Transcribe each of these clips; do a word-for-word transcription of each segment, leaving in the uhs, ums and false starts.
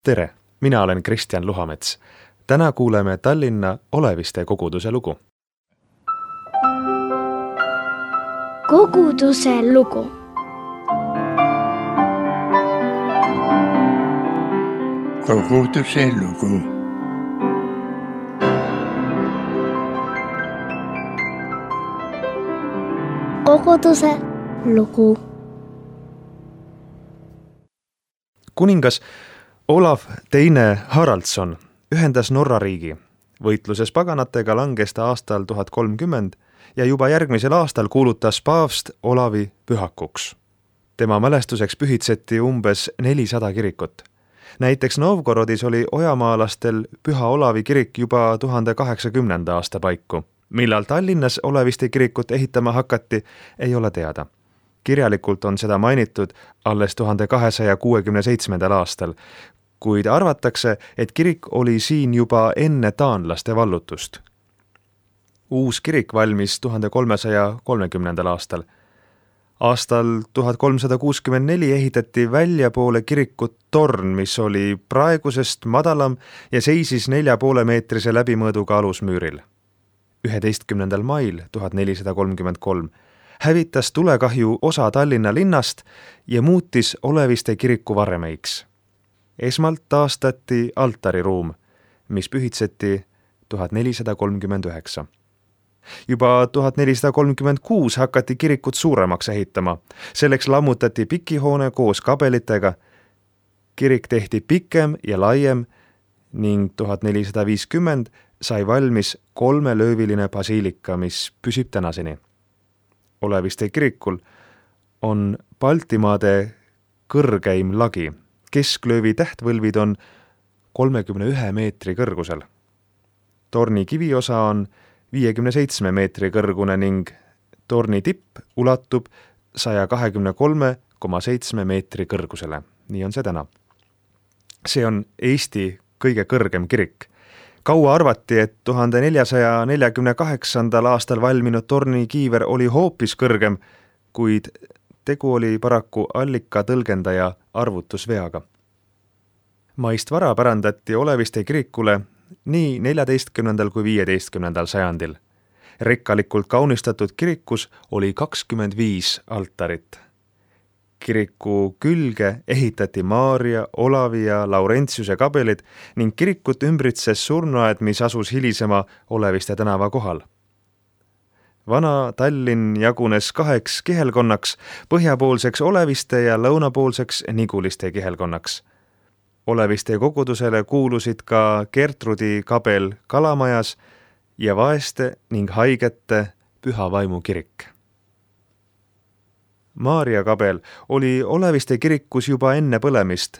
Tere, mina olen Kristjan Luhamets. Täna kuuleme Tallinna Oleviste koguduse lugu. Koguduse lugu. Koguduse lugu. Koguduse lugu. Kuningas Olav teine Haraldsson ühendas Norra riigi. Võitluses paganatega langes ta aastal tuhat kolmkümmend ja juba järgmisel aastal kuulutas paavst Olavi pühakuks. Tema mälestuseks pühitseti umbes nelisada kirikut. Näiteks Novgorodis oli ojamaalastel Püha Olavi kirik juba tuhande kaheksakümnenda aasta paiku. Millal Tallinnas Oleviste kirikut ehitama hakati, ei ole teada. Kirjalikult on seda mainitud alles tuhande kahesaja kuuekümne seitsmendal aastal, kuid arvatakse, et kirik oli siin juba enne taanlaste vallutust. Uus kirik valmis tuhande kolmesaja kolmekümnendal aastal. Aastal tuhat kolmsada kuuskümmend neli ehitati väljapoole kirikut torn, mis oli praegusest madalam ja seisis nelja poole meetrise läbimõõduga alusmüüril. üheteistkümnendal mail tuhat nelisada kolmkümmend kolm hävitas tulekahju osa Tallinna linnast ja muutis Oleviste kiriku varremeiks. Esmalt taastati altariruum, mis pühitseti tuhat nelisada kolmkümmend üheksa. Juba tuhat nelisada kolmkümmend kuus hakati kirikut suuremaks ehitama. Selleks lammutati pikihoone koos kabelitega. Kirik tehti pikem ja laiem ning tuhat nelisada viiskümmend sai valmis kolmelööviline basiilika, mis püsib tänaseni. Oleviste kirikul on Baltimaade kõrgeim lagi. Kesklöövi tähtvõlvid on kolmekümne ühe meetri kõrgusel. Torni kiviosa on viiekümne seitsme meetri kõrgune ning torni tipp ulatub saja kahekümne kolme koma seitsme meetri kõrgusele. Nii on see täna. See on Eesti kõige kõrgem kirik. Kaua arvati, et tuhande neljasaja neljakümne kaheksandal aastal valminud torni kiiver oli hoopis kõrgem, kuid tegu oli paraku allika tõlgendaja arvutusveaga. Maist vara pärandati Oleviste kirikule nii neljateistkümnendal kui viieteistkümnendal sajandil. Rikkalikult kaunistatud kirikus oli kakskümmend viis altarit. Kiriku külge ehitati Maarja, Olavi ja Laurentiuse kabelid ning kirikut ümbritses surnuaed, mis asus hilisema Oleviste tänava kohal. Vana Tallinn jagunes kaheks kihelkonnaks, põhjapoolseks Oleviste ja lõunapoolseks Niguliste kihelkonnaks. Oleviste kogudusele kuulusid ka Gertrudi kabel Kalamajas ja vaeste ning haigete Püha Vaimu kirik. Maarja kabel oli Oleviste kirikus juba enne põlemist.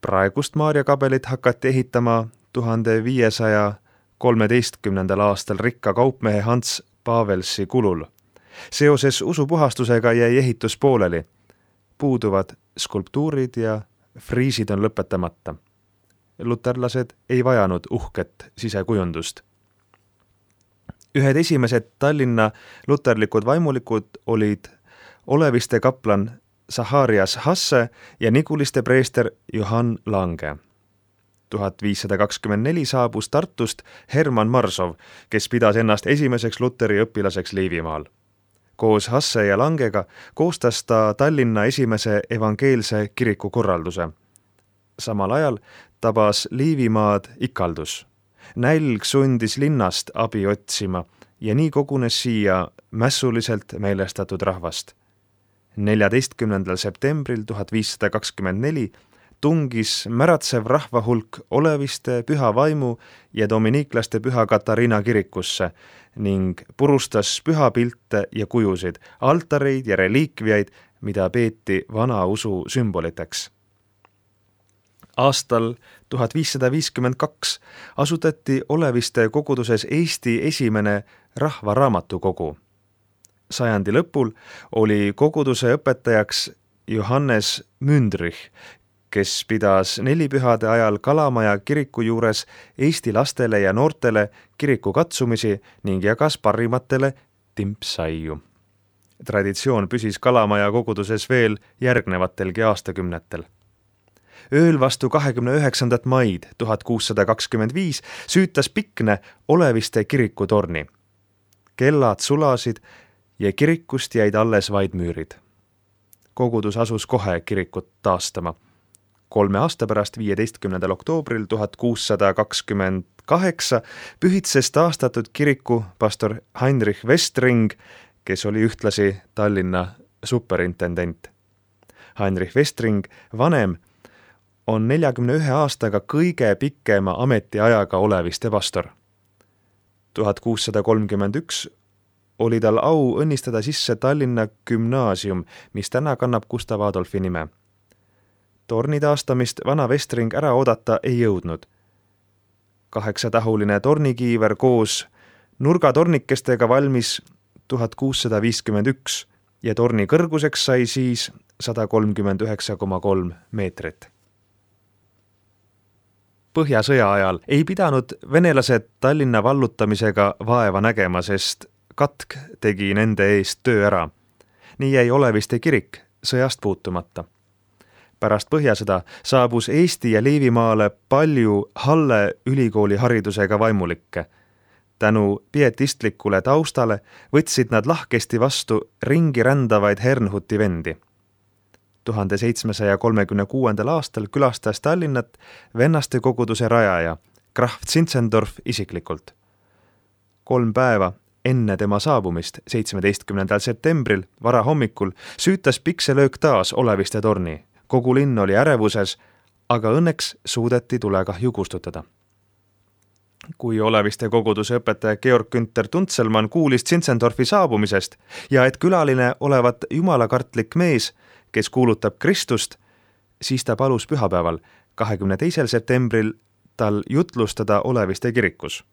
Praegust Maarja kabelit hakati ehitama tuhande viiesaja kolmeteistkümnendal aastal rikka kaupmehe Hans Pavelsi kulul. Seoses usupuhastusega jäi ehitus pooleli. Puuduvad skulptuurid ja friisid on lõpetamata. Luterlased ei vajanud uhket sisekujundust. Ühed esimesed Tallinna luterlikud vaimulikud olid Oleviste kaplan Zacharias Hasse ja Niguliste preester Johann Lange. tuhat viissada kakskümmend neli saabus Tartust Hermann Marsov, kes pidas ennast esimeseks luteri õpilaseks Liivimaal. Koos Hasse ja Langega koostas ta Tallinna esimese evangeelse kiriku korralduse. Samal ajal tabas Liivimaad ikaldus. Nälg sundis linnast abi otsima ja nii kogunes siia mässuliselt meelestatud rahvast. neljateistkümnendal septembril tuhat viissada kakskümmend neli tungis märatsev rahvahulk Oleviste, Püha Vaimu ja dominiiklaste Püha Katariina kirikusse ning purustas pühapilte ja kujusid, altareid ja reliikviaid, mida peeti vana usu sümboliteks. Aastal tuhat viissada viiskümmend kaks asutati Oleviste koguduses Eesti esimene rahvaraamatukogu. Sajandi lõpul oli koguduse õpetajaks Johannes Mündrich, kes pidas nelipühade ajal Kalamaja kiriku juures Eesti lastele ja noortele kiriku katsumisi ning jagas parimatele timpsaiu. Traditsioon püsis Kalamaja koguduses veel järgnevatelgi aastakümnetel. ööl vastu kahekümne üheksandat maid tuhat kuussada kakskümmend viis süütas Pikne Oleviste kiriku torni. Kellad sulasid ja kirikust jäid alles vaid müürid. Kogudus asus kohe kirikut taastama. Kolme aasta pärast, viieteistkümnendal oktoobril tuhat kuussada kakskümmend kaheksa pühitses taastatud kiriku pastor Heinrich Westring, kes oli ühtlasi Tallinna superintendent. Heinrich Westring vanem on neljakümne ühe aastaga kõige pikema ametiajaga Oleviste pastor. tuhat kuussada kolmkümmend üks oli tal au õnnistada sisse Tallinna gümnaasium, mis täna kannab Gustav Adolfi nime. Torni taastamist vana Westring ära oodata ei jõudnud. Kaheksatahuline tornikiiver koos nurgatornikestega valmis tuhat kuussada viiskümmend üks ja torni kõrguseks sai siis sada kolmkümmend üheksa koma kolm meetrit. Põhjasõja ajal ei pidanud venelased Tallinna vallutamisega vaeva nägema, sest katk tegi nende eest töö ära. Nii jäi Oleviste kirik sõjast puutumata. Pärast Põhjasõda saabus Eesti ja Liivimaale palju Halle ülikooli haridusega vaimulikke. Tänu pietistlikule taustale võtsid nad lahkesti vastu ringi rändavaid Herrnhuti vendi. tuhande seitsmesaja kolmekümne kuuendal aastal külastas Tallinnat vennaste koguduse rajaja Graf Zinzendorf isiklikult. Kolm päeva enne tema saabumist, seitsmeteistkümnendal septembril varahommikul, süütas pikselöök taas Oleviste torni. Kogu linn oli ärevuses, aga õnneks suudeti tulekahju kustutada. Kui Oleviste koguduse õpetaja Georg Günther Tuntselmann kuulis Zinzendorfi saabumisest ja et külaline olevat jumalakartlik mees, kes kuulutab Kristust, siis ta palus pühapäeval, kahekümne teisel septembril tal jutlustada Oleviste kirikus.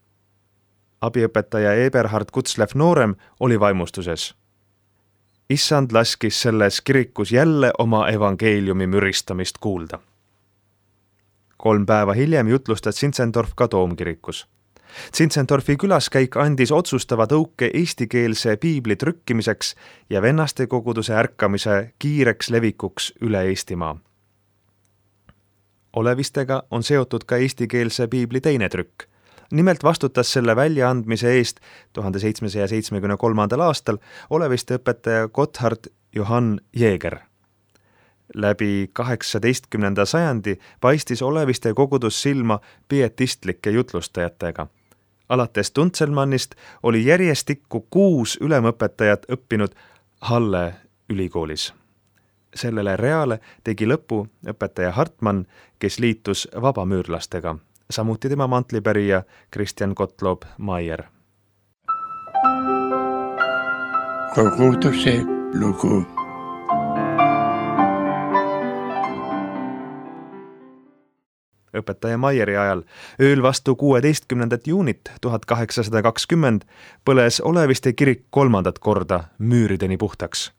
Abiõpetaja Eberhard Kutzlev noorem oli vaimustuses. Issand laskis selles kirikus jälle oma evangeeliumi müristamist kuulda. Kolm päeva hiljem jutlustas Zinzendorf ka Toomkirikus. Zinzendorfi külaskäik andis otsustava tõuke eestikeelse piibli trükkimiseks ja vennaste koguduse ärkamise kiireks levikuks üle Eestimaa. Olevistega on seotud ka eestikeelse piibli teine trükk. Nimelt vastutas selle väljaandmise eest tuhande seitsmesaja seitsmekümne kolmandal aastal Oleviste õpetaja Gotthard Johann Jäger. Läbi kaheksateistkümnenda sajandi paistis Oleviste kogudus silma pietistlike jutlustajatega. Alates Tuntselmannist oli järjestikku kuus ülemõpetajat õppinud Halle ülikoolis. Sellele reale tegi lõpu õpetaja Hartmann, kes liitus vabamüürlastega, samuti tema mantlipärija Christian Gottlob Maier. Koguduse lugu. Õpetaja Maieri ajal ööl vastu kuueteistkümnendat juunit tuhat kaheksasada kakskümmend põles Oleviste kirik kolmandat korda müürideni puhtaks.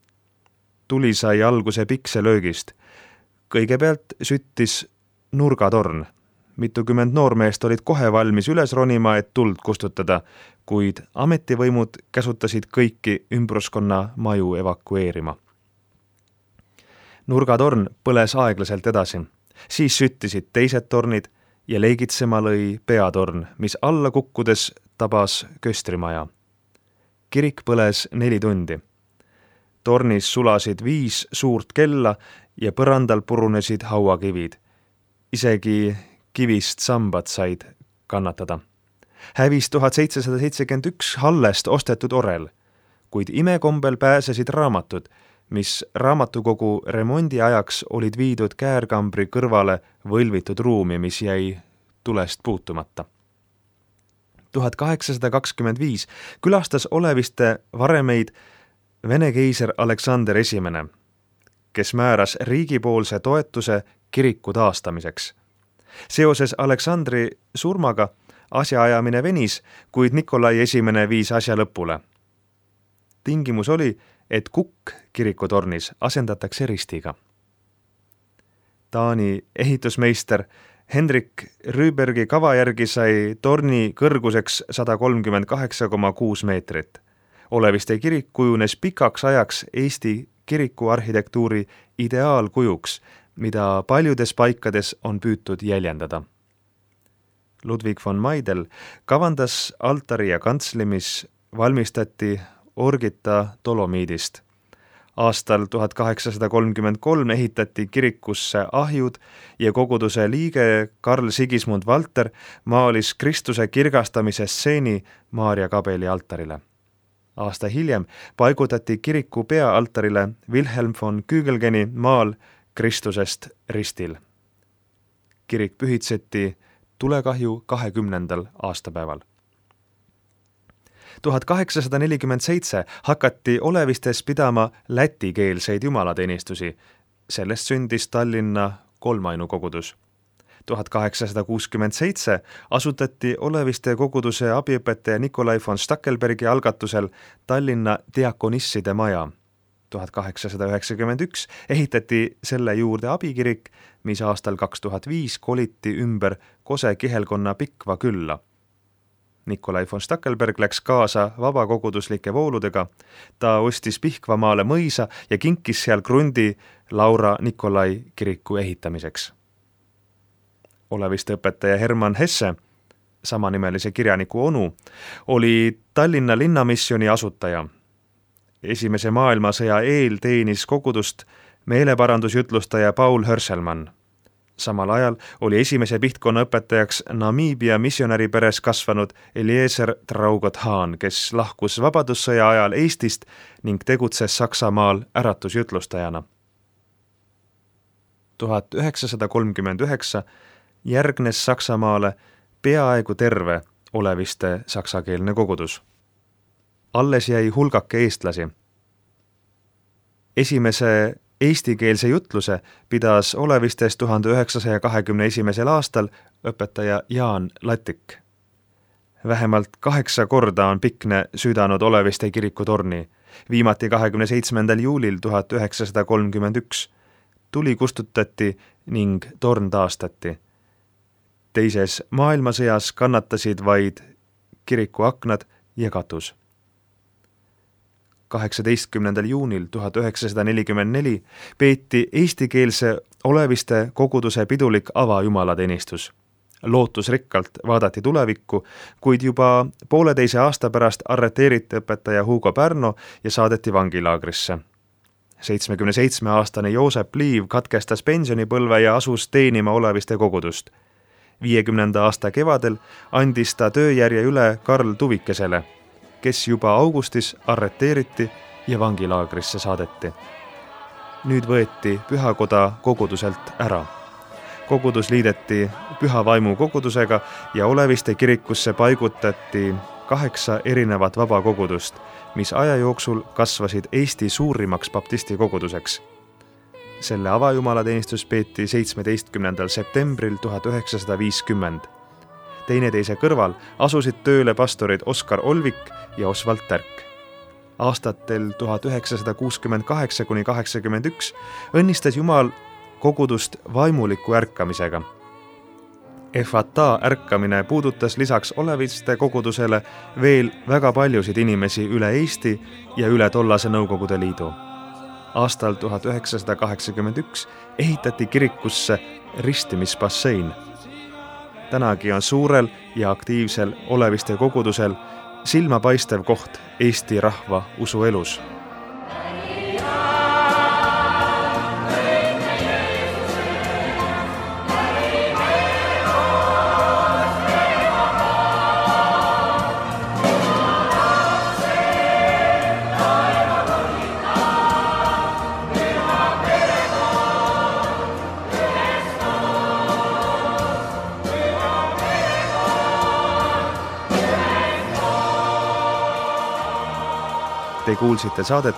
Tuli sai alguse pikselöögist. Kõigepealt süttis nurgatorn. Mitukümmend noormeest olid kohe valmis üles ronima, et tuld kustutada, kuid ametivõimud käsutasid kõiki ümbruskonna maju evakueerima. Nurgatorn põles aeglaselt edasi. Siis süttisid teised tornid ja leigitsema lõi peatorn, mis alla kukkudes tabas köstrimaja. Kirik põles neli tundi. Tornis sulasid viis suurt kella ja põrandal purunesid hauakivid. Isegi kivist sambad said kannatada. Hävis tuhat seitsesada seitsekümmend üks Hallest ostetud orel, kuid imekombel pääsesid raamatud, mis raamatukogu remondi ajaks olid viidud käärkambri kõrvale võlvitud ruumi, mis jäi tulest puutumata. tuhat kaheksasada kakskümmend viis külastas Oleviste varemeid Vene keiser Aleksander Esimene, kes määras riigipoolse toetuse kiriku taastamiseks. Seoses Aleksandri surmaga asjaajamine venis, kuid Nikolai Esimene viis asja lõpule. Tingimus oli, et kukk kirikutornis asendatakse ristiga. Taani ehitusmeister Henrik Rüübergi kava järgi sai torni kõrguseks sada kolmkümmend kaheksa koma kuus meetrit. Oleviste kirik kujunes pikaks ajaks Eesti kirikuarhitektuuri ideaalkujuks, mida paljudes paikades on püütud jäljendada. Ludwig von Meidel kavandas altari ja kantsli, mis valmistati Orgita Dolomiidist. Aastal tuhat kaheksasada kolmkümmend kolm ehitati kirikusse ahjud ja koguduse liige Karl Sigismund Valter maalis Kristuse kirgastamise stseeni Maarja Kabeli altarile. Aasta hiljem paigutati kiriku peaaltarile Wilhelm von Kügelgeni maal Kristusest ristil. Kirik pühitseti tulekahju kahekümnendal aastapäeval. tuhat kaheksasada nelikümmend seitse hakati Olevistes pidama lätikeelseid jumalateenistusi. Sellest sündis Tallinna kolmainukogudus. tuhat kaheksasada kuuskümmend seitse asutati Oleviste koguduse abiõpetaja Nikolai von Stackelbergi algatusel Tallinna diakonisside maja. tuhat kaheksasada üheksakümmend üks ehitati selle juurde abikirik, mis aastal kaks tuhat viis koliti ümber Kose kihelkonna Pikva külla. Nikolai von Stackelberg läks kaasa vabakoguduslike vooludega. Ta ostis Pihkvamaale mõisa ja kinkis seal krundi Laura Nikolai kiriku ehitamiseks. Oleviste õpetaja Hermann Hesse, samanimelise kirjaniku onu, oli Tallinna linnamissioni asutaja. Esimese maailmasõja eel teenis kogudust meeleparandusjutlustaja Paul Hörselmann. Samal ajal oli esimese pihtkonna õpetajaks Namiibia missionäriperes kasvanud Eliezer Traugot Haan, kes lahkus vabadussõja ajal Eestist ning tegutses Saksamaal äratusjutlustajana. tuhat üheksasada kolmkümmend üheksa järgnes Saksamaale peaaegu terve Oleviste saksakeelne kogudus. Alles jäi hulgake eestlasi. Esimese eestikeelse jutluse pidas Olevistes tuhande üheksasaja kahekümne esimesel aastal õpetaja Jaan Latik. Vähemalt kaheksa korda on Pikne südanud Oleviste kiriku torni, viimati kahekümne seitsmendal juulil tuhat üheksasada kolmkümmend üks. Tuli kustutati ning torn taastati. Teises maailmasõjas kannatasid vaid kiriku aknad ja katus. kaheksateistkümnendal juunil tuhat üheksasada nelikümmend neli peeti eestikeelse Oleviste koguduse pidulik avajumalateenistus. Lootusrikkalt vaadati tulevikku, kuid juba pooleteise aasta pärast arreteeriti õpetaja Hugo Pärno ja saadeti vangilaagrisse. seitsmekümne seitsme aastane Joosep Liiv katkestas pensionipõlve ja asus teenima Oleviste kogudust. viiekümnenda aasta kevadel andis ta tööjärje üle Karl Tuvikesele, kes juba augustis arreteeriti ja vangilaagrisse saadeti. Nüüd võeti pühakoda koguduselt ära. Kogudus liideti Püha Vaimu kogudusega ja Oleviste kirikusse paigutati kaheksa erinevat vabakogudust, mis aja jooksul kasvasid Eesti suurimaks baptisti koguduseks. Selle avajumalateenistus peeti seitsmeteistkümnendal septembril tuhat üheksasada viiskümmend. Teineteise kõrval asusid tööle pastorid Oskar Olvik ja Osvald Tärk. Aastatel tuhat üheksasada kuuskümmend kaheksa kuni kaheksakümmend üks õnnistas Jumal kogudust vaimuliku ärkamisega. Efata ärkamine puudutas lisaks Oleviste kogudusele veel väga paljusid inimesi üle Eesti ja üle tollase Nõukogude Liidu. Aastal tuhat üheksasada kaheksakümmend üks ehitati kirikusse ristimisbassein. Tänagi on suurel ja aktiivsel Oleviste kogudusel silmapaistev koht Eesti rahva usuelus. Te kuulsite saadet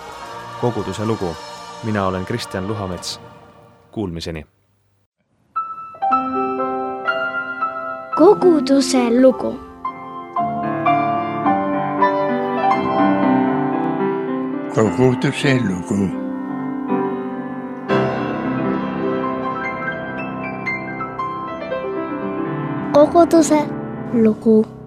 Koguduse lugu. Mina olen Kristjan Luhamets. Kuulmiseni. Koguduse lugu. Koguduse lugu. Koguduse lugu.